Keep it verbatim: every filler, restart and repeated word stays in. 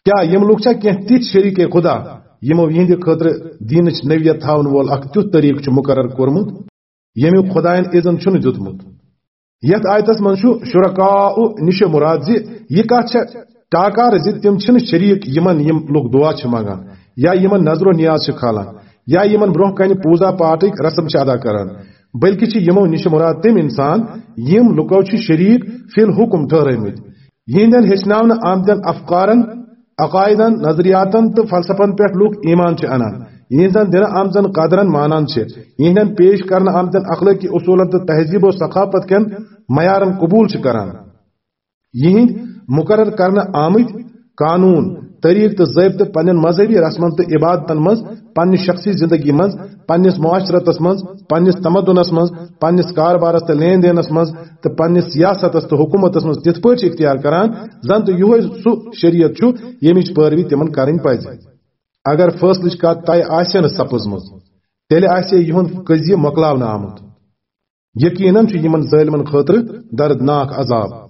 کیا یم لوگ چھا کینٛہہ تِتھۍ شریک خدا، یمو یہندِ خٲطرٕ دینٕچ نوعیت تھاون وول اکھ تیُتھ طریقہٕ چھُ مقرر کوٚرمُت، یمیُک خداین اذن چھُنہٕ دیُتمُت؟ یتھ آیتس منٛز چھُ شرکاء نِش مراد زِ یہِ کتھ چھےٚ ٹاکار زِ تِم چھِنہٕ شریک یمن یم لوگ دعا چھِ منگان، یا یمن نظر و نیاز چھِ کھالان، یا یمن برونٛہہ کنہِ پوٗزا پاٹٕکۍ رسم چھِ ادا کران، بلکہِ چھِ یمو نِش مراد تِم انسان، یم لُکو چھِ شریک فی الحکم ٹھہرٲومٕتۍ۔ یہندٮ۪ن ہیٚچھناونہٕ آمتٮ۪ن افکارن، عقائدن، نظریاتن تہٕ فلسفن پٮ۪ٹھ لوٗکھ ایمان چھِ انان، یہنزن دِنہٕ آمژن قدرن مانان چھِ، یہندٮ۪ن پیش کرنہٕ آمتٮ۪ن اخلٲقی اصوٗلن تہٕ تہذیب و ثقافت کٮ۪ن معیارن قبول چھِ کران۔ یہندۍ مقرر کرنہٕ آمٕتۍ قانون، طریقہٕ تہٕ ضٲبطہٕ پننٮ۪ن مذہبی رسمن تہٕ عبادتن منٛز، پننہِ شخصی زندگی منٛز، پننِس معاشرتس منٛز، پننِس تمدنس منٛز، پننِس کاربارس تہٕ لین دینس منٛز، تہٕ پننِس سیاستس تہٕ حکومتس منٛز تِتھ پٲٹھۍ چھِ اختیار کران، زن تہٕ یُہے سُہ شریعت چھُ، ییٚمِچ پٲروی تِمن کرٕنۍ پزِ۔ اگر فٲصلٕچ کتھ طے آسہِ نہٕ سپٕزمٕژ، تیٚلہِ آسہِ یِہُنٛد قضیہِ مۄکلاونہٕ آمُت۔ یقیناً چھُ یِمن ظٲلمن خٲطرٕ دردناک عذاب۔